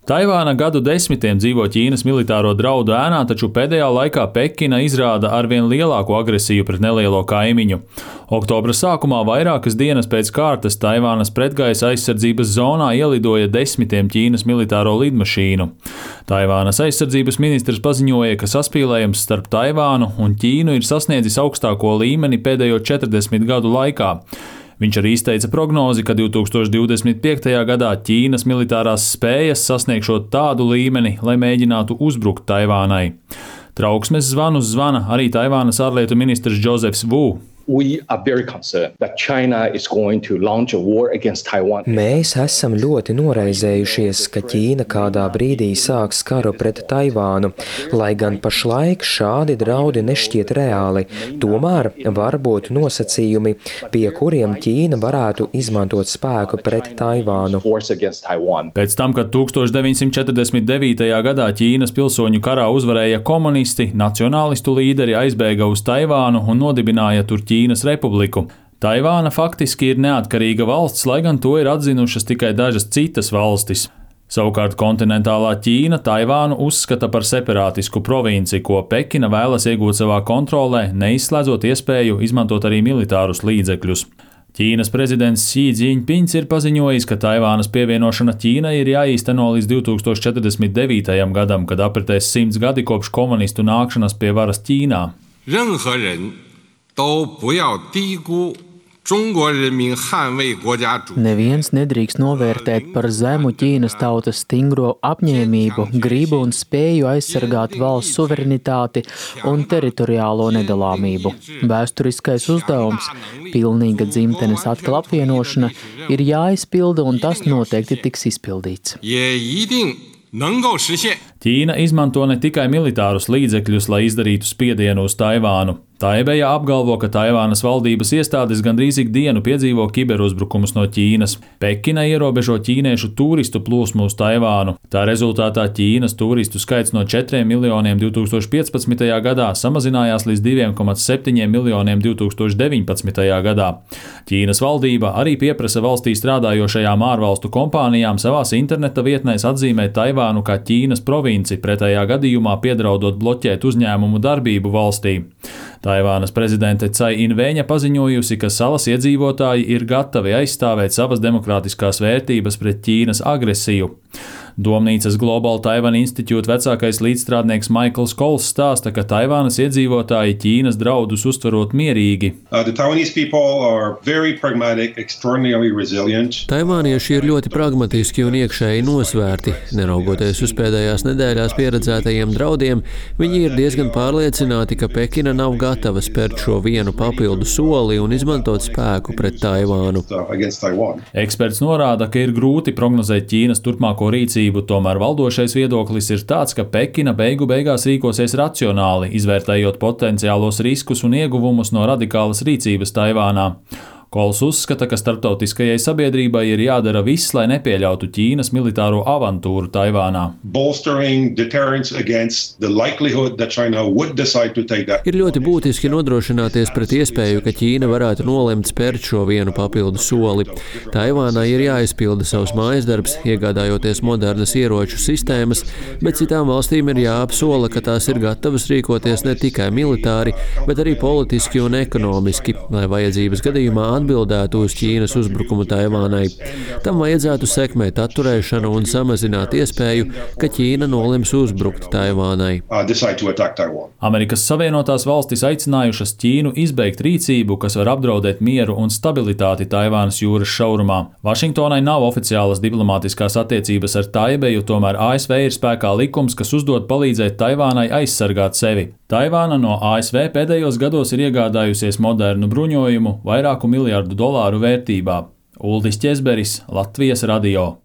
Taivāna gadu desmitiem dzīvo Ķīnas militāro draudu ēnā, taču pēdējā laikā Pekina izrāda arvien lielāku agresiju pret nelielo kaimiņu. Oktobra sākumā vairākas dienas pēc kārtas Taivānas pretgaisa aizsardzības zonā ielidoja desmitiem Ķīnas militāro lidmašīnu. Taivānas aizsardzības ministrs paziņoja, ka saspīlējums starp Taivānu un Ķīnu ir sasniedzis augstāko līmeni pēdējo 40 gadu laikā. Viņš arī izteica prognozi, ka 2025. gadā Ķīnas militārās spējas sasniegšot tādu līmeni, lai mēģinātu uzbrukt Taivānai. Trauksmes zvanus zvana arī Taivānas ārlietu ministrs Džozefs Vu. Mēs esam ļoti noraizējušies, ka Ķīna kādā brīdī sāks karu pret Taivānu, lai gan pašlaik šādi draudi nešķiet reāli. Tomēr var būt nosacījumi, pie kuriem Ķīna varētu izmantot spēku pret Taivānu. Pēc tam, kad 1949. gadā Ķīnas pilsoņu karā uzvarēja komunisti, nacionālistu līderi aizbēga uz Taivānu un nodibināja tur Ķīnas republiku. Taivāna faktiski ir neatkarīga valsts, lai gan to ir atzinušas tikai dažas citas valstis. Savukārt kontinentālā Ķīna Taivānu uzskata par separātisku provinci, ko Pekina vēlas iegūt savā kontrolē, neizslēdzot iespēju izmantot arī militārus līdzekļus. Ķīnas prezidents Xi Jinpings ir paziņojis, ka Taivānas pievienošana Ķīnai ir jāīsteno līdz 2049. gadam, kad apritēs 100 gadi kopš komunistu nākšanas pie varas Ķīnā. Neviens nedrīkst novērtēt par zemu Ķīnas tautas stingro apņēmību, gribu un spēju aizsargāt valsts suverenitāti un teritoriālo nedalāmību. Vēsturiskais uzdevums, pilnīga dzimtenes atkal apvienošana, ir jāizpilda un tas noteikti tiks izpildīts. Ķīna izmanto ne tikai militārus līdzekļus, lai izdarītu spiedienu uz Taivānu. Taibeja apgalvo, ka Taivānas valdības iestādes gandrīz ikdienu piedzīvo kiberuzbrukumus no Ķīnas. Pekina ierobežo ķīniešu turistu plūsmu uz Taivānu. Tā rezultātā Ķīnas turistu skaits no 4 miljoniem 2015. gadā samazinājās līdz 2,7 miljoniem 2019. gadā. Ķīnas valdība arī pieprasa valstī strādājošajām ārvalstu kompānijām savās interneta vietnēs atzīmēt Taivānu kā Ķīnas provinci, pretējā gadījumā piedraudot bloķēt uzņēmumu darbību valstī. Taivānas prezidente Cai Inveņa paziņojusi, ka salas iedzīvotāji ir gatavi aizstāvēt savas demokrātiskās vērtības pret Ķīnas agresiju. Domnīcas Global Taiwan Institute vecākais līdzstrādnieks Maikls Kols stāsta, ka Taivānas iedzīvotāji Ķīnas draudus uztverot mierīgi. Taivānieši ir ļoti pragmatiski un iekšēji nosvērti. Neraugoties uz pēdējās nedēļās pieredzētajiem draudiem, viņi ir diezgan pārliecināti, ka Pekina nav gatava spērt šo vienu papildu soli un izmantot spēku pret Taivānu. Eksperts norāda, ka ir grūti prognozēt Ķīnas turpmāko rīcību. Tomēr valdošais viedoklis ir tāds, ka Pekina beigu beigās rīkosies racionāli, izvērtējot potenciālos riskus un ieguvumus no radikālas rīcības Taivānā. Kols uzskata, ka starptautiskajai sabiedrībai ir jādara viss, lai nepieļautu Ķīnas militāro avantūru Taivānā. Ir ļoti būtiski nodrošināties pret iespēju, ka Ķīna varētu nolemt spērt šo vienu papildu soli. Taivānai ir jāizpilda savs mājasdarbs, iegādājoties modernas ieroču sistēmas, bet citām valstīm ir jāapsola, ka tās ir gatavas rīkoties ne tikai militāri, bet arī politiski un ekonomiski, lai vajadzības gadījumā atbildētu uz Ķīnas uzbrukumu Taivānai. Tam vajadzētu sekmēt atturēšanu un samazināt iespēju, ka Ķīna nolems uzbrukt Taivānai. Amerikas Savienotās valstis aicinājušas Ķīnu izbeigt rīcību, kas var apdraudēt mieru un stabilitāti Taivānas jūras šaurumā. Vašingtonai nav oficiālas diplomātiskās attiecības ar Taibeju, tomēr ASV ir spēkā likums, kas uzdod palīdzēt Taivānai aizsargāt sevi. Taivāna no ASV pēdējos gados ir iegādājusies modernu bruņojumu vairāku miljardu dolāru vērtībā. Uldis Ķezberis, Latvijas radio.